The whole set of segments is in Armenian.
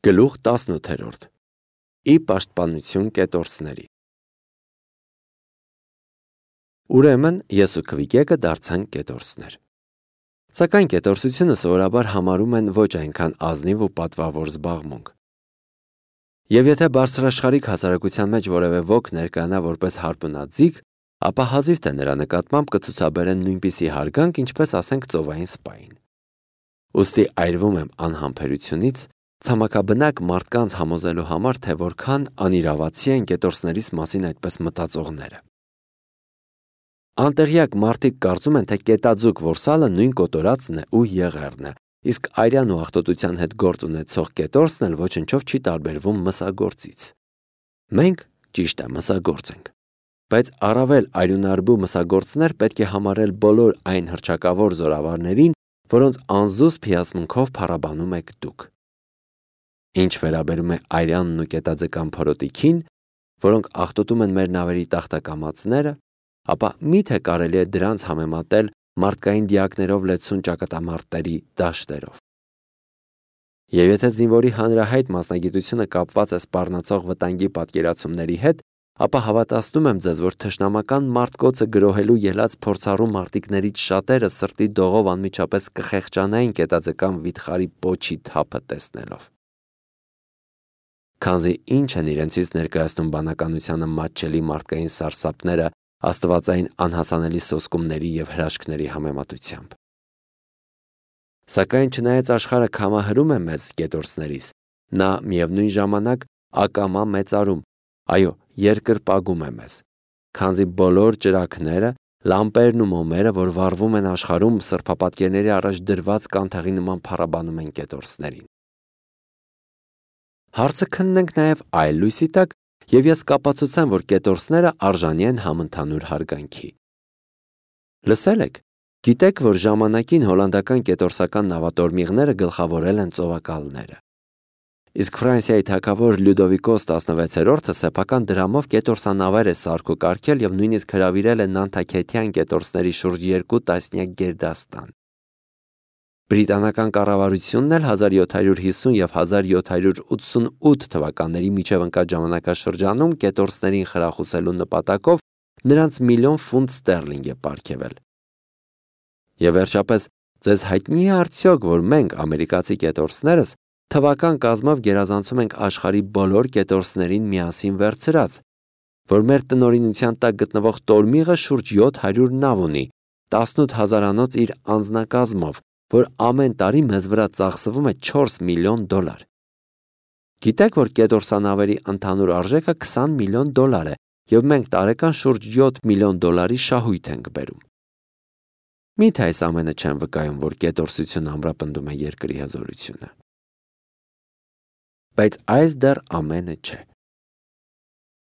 Գլուխ 18 Ի պաշտպանություն կետորսների։ Ուրեմն ես ու Քվիկեկը դարձանք կետորսներ։ Սակայն կետորսությունը սովորաբար համարում են ոչ այնքան ազնիվ ու պատվավոր զբաղմունք։ Եվ եթե բարձրաշխարհիկ հասարակության մեջ որևէ ոք ներկայանա որպես հարբունաձիգ, ապա հազիվ թե նրա նկատմամբ կցուցաբերեն նույնպիսի հարգանք, ինչպես ասենք ծովային սպային։ Ուստի այրվում եմ անհամբերությունից, ցամաքաբնակ մարդկանց համոզելու համար, թե որքան անիրավացի են կետորսներիս մասին այդպես մտածողները։ Անտեղյակ մարդիկ կարծում են, թե կետաձուկ որսալը նույն կոտորածն է ու եղեռն է, իսկ այրյան ու աղտոտության հետ գործ ունեցող կետորսն էլ ոչնչով չի տարբերվում մսագործից։ Մենք ճիշտ է մսագործ ենք, բայց առավել արյունարբու մսագործներ պետք է համարել բոլոր այն հռչակավոր զորավարներին, որոնց անզուսպ հիացմունքով փառաբանում եք դուք։ Ինչ վերաբերում է արյանն ու կետաձկան փորոտիքին, որոնք աղտոտում են մեր նավերի տախտակամածները, ապա միթե կարելի է դրանց համեմատել մարդկային դիակներով լեցուն ճակատամարտերի դաշտերով։ Եվ եթե զինվորի հանրահայտ մասնագիտությունը կապված է սպառնացող վտանգի պատկերացումների հետ, ապա հավատացնում եմ ձեզ, որ թշնամական մարդկոցը գրոհելու ելած փորձառու մարտիկներից շատերը սրտի դողով անմիջապես կխեղճանային կետաձկան վիթխարի պոչի թափը տեսնելով։ Քանզի ինչ են իրենցից ներկայացնում բանականությանը մատչելի մարդկային սարսափները աստվածային անհասանելի սոսկումների և հրաշքների համեմատությամբ։ Սակայն չնայած աշխարհը քամահրում է մեզ կետորսներիս, նա միևնույն ժամանակ ակամա մեծարում, այո, երկրպագում է մեզ, քանզի բոլոր ճրագները, լամպերն ու մոմերը, որ վառվում են աշխարհում, սրբապատկերների առաջ դրված կանթեղի նման փառաբանում են կետորսներին։ Հարցը քննենք նաև այլ լույսի տակ, և ես կապացուցեմ, որ կետորսները արժանի են համընդհանուր հարգանքի։ Լսել եք, գիտեք, որ ժամանակին հոլանդական կետորսական նավատորմիղները գլխավորել են ծովակալները։ Իսկ Ֆրանսիայի թագավոր Լյուդովիկոս 16-րդը սեփական դրամով կետորսանավեր է սարքուկարգել և նույնիսկ հրավիրել է նանտաքեթյան կետորսների շուրջ 2 տասնյակ գերդաստան։ Բրիտանական կառավարությունն էլ 1750 և 1788 թվականների միջև ընկած ժամանակաշրջանում կետորսներին խրախուսելու նպատակով նրանց միլիոն ֆունտ ստերլինգ է պարգևել։ Եվ վերջապես, ձեզ հայտնի է արդյոք, որ մենք, ամերիկացի կետորսներս, թվական կազմով գերազանցում ենք աշխարհի բոլոր կետորսներին միասին վերցրած, որ մեր տնօրինության տակ գտնվող տորմիղը շուրջ 700 նավ ունի, 18 հազարանոց իր անձնակազմով, որ ամեն տարի մեզ վրա ծախսվում է $4 միլիոն։ Գիտեք, որ կետորսանավերի ընդհանուր արժեքը $20 միլիոն է, և մենք տարեկան շուրջ $7 միլիոն շահույթ ենք բերում։ Միթե այս ամենը չեն վկայում, որ կետորսությունը ամրապնդում է երկրի հզորությունը։ Բայց այս դեռ ամենը չէ։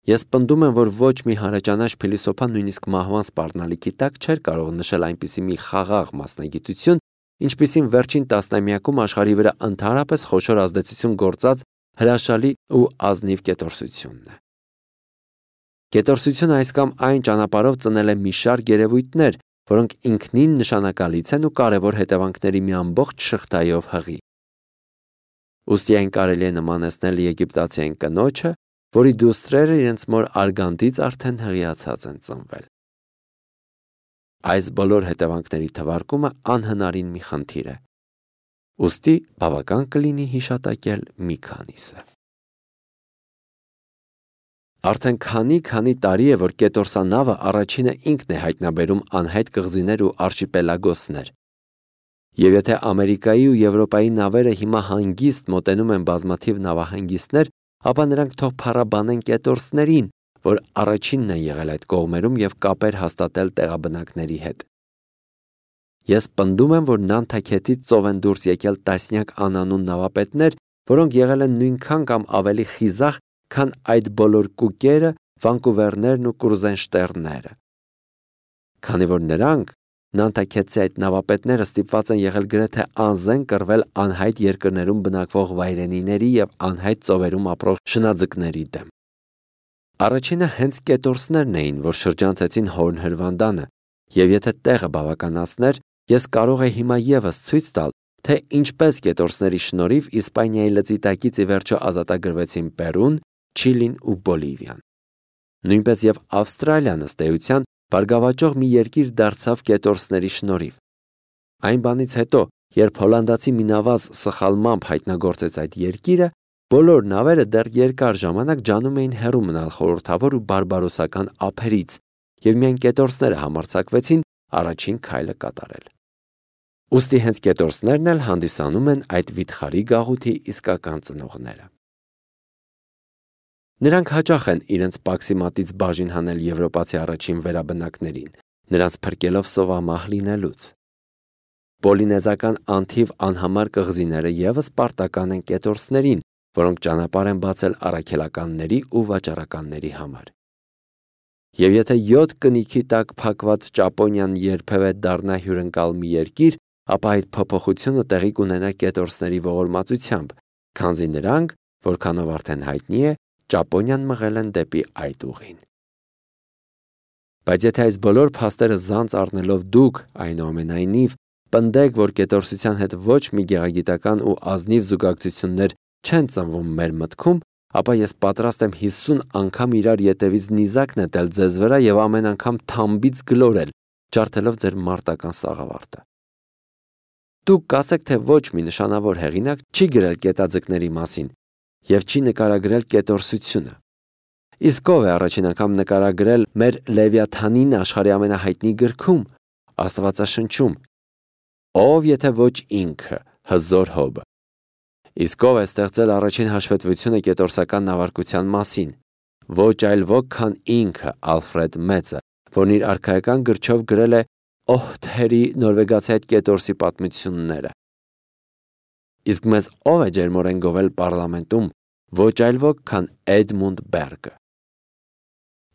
Ես պնդում եմ, որ ոչ մի հարաճանաչ փիլիսոփա նույնիսկ մահվան սպառնալիքի տակ չէր կարող նշել այնպիսի մի խաղաղ մասնագիտություն, ինչպիսին վերջին տասնամյակում աշխարհի վրա ընդհանրապես խոշոր ազդեցություն գործած հրաշալի ու ազնիվ կետորսությունն է։ Կետորսությունը այս կամ այն ճանապարհով ծնել է մի շարք երևույթներ, որոնք ինքնին նշանակալից են ու կարևոր հետևանքների մի ամբողջ շղթայով հղի։ Ուստի այն կարելի է նմանեցնել եգիպտացիային կնոջը, որի դուստրերը իրենց մոր արգանդից արդեն հղիացած են ծնվել։ Այս բոլոր հետևանքների թվարկումը անհնարին մի խնդիր է։ Ուստի բավական կլինի հիշատակել մի քանիսը։ Արդեն քանի տարի է, որ կետորսանավը առաջինը ինքն է հայտնաբերում անհայտ կղզիներ ու արշիպելագոսներ։ Եվ եթե Ամերիկայի ու Եվրոպայի նավերը հիմա հանգիստ մոտենում են բազմաթիվ նավահանգիստներ, ապա նրանք թող փառաբանեն կետորսներին, որ առաջինն են եղել այդ կողմերում և կապեր հաստատել տեղաբնակների հետ։ Ես պնդում եմ, որ Նանտաքետից ծով են դուրս եկել տասնյակ անանուն նավապետներ, որոնք եղել են նույնքան կամ ավելի խիզախ, քան այդ բոլոր կուկերը, Վանկուվերներն ու Կրուզենշտերնները։ Քանի որ նրանք, Նանտաքետցի այդ նավապետները, ստիպված են եղել գրեթե անզեն կռվել անհայտ երկրներում բնակվող վայրենիների և անհայտ ծովերում ապրող շնաձկների դեմ։ Առաջինը հենց կետորսներն էին, որ շրջանցեցին Հորն հրվանդանը, և եթե տեղը բավականացներ, ես կարող եի հիմա ևս ցույց տալ, թե ինչպես կետորսների շնորհիվ Իսպանիայի լծի տակից ի վերջո ազատագրվեցին Պերուն, Չիլին ու Բոլիվիան։ Նույնպես եւ Ավստրալիան ըստ էության բարգավաճող մի երկիր դարձավ կետորսների շնորհիվ։ Այն բանից հետո, երբ հոլանդացի մի նավազ սխալմամբ հայտնագործեց այդ երկիրը, բոլոր նավերը դեռ երկար ժամանակ ջանում էին հեռու մնալ խորհրդավոր ու բարբարոսական ափերից, եւ միայն կետորսները համարձակվեցին առաջին քայլը կատարել։ Ուստի հենց կետորսներն էլ հանդիսանում են այդ վիթխարի գաղութի իսկական ծնողները։ Նրանք հաճախ են իրենց պաքսիմատից բաժին հանել եվրոպացի առաջին վերաբնակներին, նրանց փրկելով սովամահ լինելուց։ Պոլինեզական անթիվ անհամար կղզիները ևս պարտական են կետորսներին, որոնք ճանապարհ են բացել առաքելականների ու վաճառականների համար։ Եվ եթե 7 կնիքի տակ փակված Ճապոնիան երբևէ դառնա հյուրընկալ մի երկիր, ապա այդ փոփոխությունը տեղի կունենա կետորսների ողորմածությամբ, քանզի նրանք, որքանով արդեն հայտնի է, Ճապոնիան մղել են դեպի այդ ուղին։ Բայց եթե այս բոլոր փաստերը զանց առնելով դուք, այնուամենայնիվ, պնդեք, որ կետորսության հետ ոչ մի գեղագիտական ու ազնիվ զուգակցություններ չեն ծնվում մեր մտքում, ապա ես պատրաստ եմ 50 անգամ իրար ետևից նիզակ նետել ձեզ վրա եւ ամեն անգամ թամբից գլորել, ջարդելով ձեր մարտական սաղավարտը։ Դուք կասեք, թե ոչ մի նշանավոր հեղինակ չի գրել կետաձկների մասին եւ չի նկարագրել կետորսությունը։ Իսկ ով է առաջին անգամ նկարագրել մեր Լևիաթանին աշխարհի ամենահայտնի գրքում, Աստվածաշնչում։ Ով եթե ոչ ինքը, հզոր Հոբը։ Իսկ ով է ստեղծել առաջին հաշվետվությունը կետորսական նավարկության մասին։ Ոչ այլ ոք, քան ինքը Ալֆրեդ Մեծը, որն իր արքայական գրչով գրել է Օհթերի նորվեգացի այդ կետորսի պատմությունները։ Իսկ մեզ ով է ջերմորեն գովել պարլամենտում, ոչ այլ ոք, քան Էդմունդ Բերգը։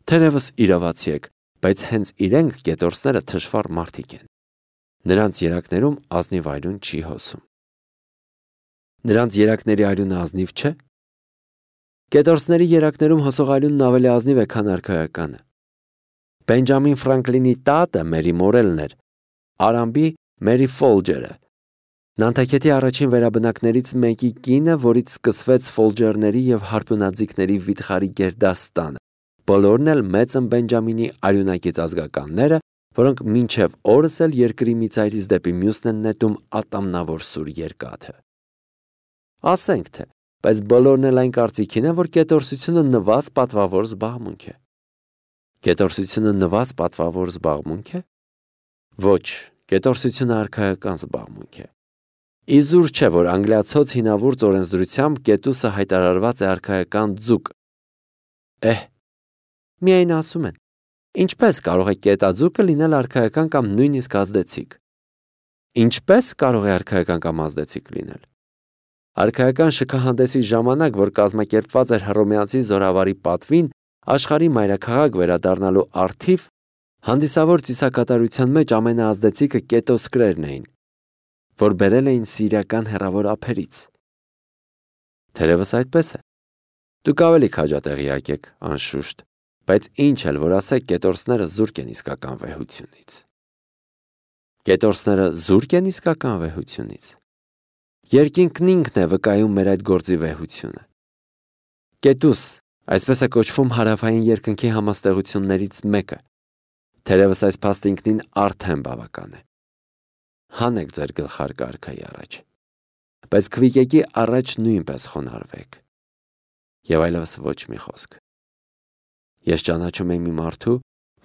Թերևս իրավացի եք, բայց հենց իրենք կետորսները թշվառ մարդիկ են։ Նրանց երակներում ազնիվ արյուն չի հոսում։ Նրանց երակների արյունը ազնիվ չէ։ Կետորսների երակներում հոսող արյունն ավելի ազնիվ է, քան արքայականը։ Բենջամին Ֆրանկլինի տատը Մերի Մորելն էր, Արամբի Մերի Ֆոլջերը, Նանտակետի առաջին վերաբնակներից մեկի կինը, որից սկսվեց Ֆոլջերների եւ հարբունաձիգների վիթխարի գերդաստանը։ Բոլորն էլ մեծ են Բենջամինի արյունակից ազգականները, որոնք մինչև օրս էլ երկրի մի ծայրից դեպի մյուսն են նետում ատամնավոր սուր երկաթը։ Ասենք թե, բայց բոլորն էլ այն կարծիքին են, որ կետորսությունը նվազ պատվավոր զբաղմունք է։ Կետորսությունը նվազ պատվավոր զբաղմունք է։ Ոչ, կետորսությունը արքայական զբաղմունք է։ Իզուր չէ, որ անգլիացոց հինավուրց օրենսդրությամբ կետուսը հայտարարված է արքայական ձուկ։ Միայն ասում են, ինչպես կարող է կետաձուկը լինել արքայական կամ նույնիսկ ազդեցիկ։ Ինչպես կարող է արքայական կամ ազդեցիկ լինել։ Արքայական շքահանդեսի ժամանակ, որ կազմակերպված էր հռոմեացի զորավարի պատվին, աշխարհի մայրաքաղաք վերադառնալու առթիվ, հանդիսավոր ծիսակատարության մեջ ամենաազդեցիկը կետոսկրերն էին, որ բերել էին սիրիական հեռավոր ափերից։ Թերևս այդպես է։ Դուք ավելի քաջատեղյակ եք, անշուշտ, բայց ինչ էլ որ ասեք, կետորսները զուրկ են իսկական վեհությունից։ Կետորսները զուրկ են իսկական վեհությունից։ Երկինքն ինքն է վկայում մեր այդ գործի վեհությունը։ Կետուս, այսպես է կոչվում հարավային երկնքի համաստեղություններից մեկը։ Թերևս այս փաստը ինքնին արդեն բավական է։ Հանեք ձեր գլխարկը արքայի առաջ, բայց քվիկեկի առաջ նույնպես խոնարհվեք։ Եվ այլևս ոչ մի խոսք։ Ես ճանաչում եմ մի մարդու,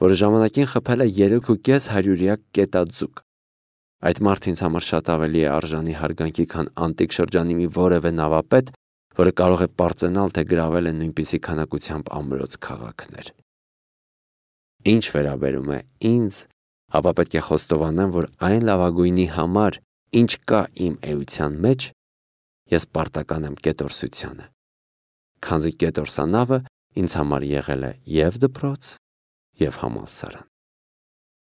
որը ժամանակին խփել է 3.5 հարյուրյակ կետաձուկ։ Այդ մարդը ինձ համար շատ ավելի է արժանի հարգանքի, քան անտիկ շրջանի մի որևէ նավապետ, որը կարող է պարծենալ, թե գրավել է նույնպիսի քանակությամբ ամրոց քաղաքներ։ Ինչ վերաբերում է ինձ, ապա պետք է խոստովանեմ, որ այն լավագույնի համար, ինչ կա իմ էության մեջ, ես պարտական եմ կետորսությանը, քանզի կետորսանավը ինձ համար եղել է և դպրոց, և համալսարան։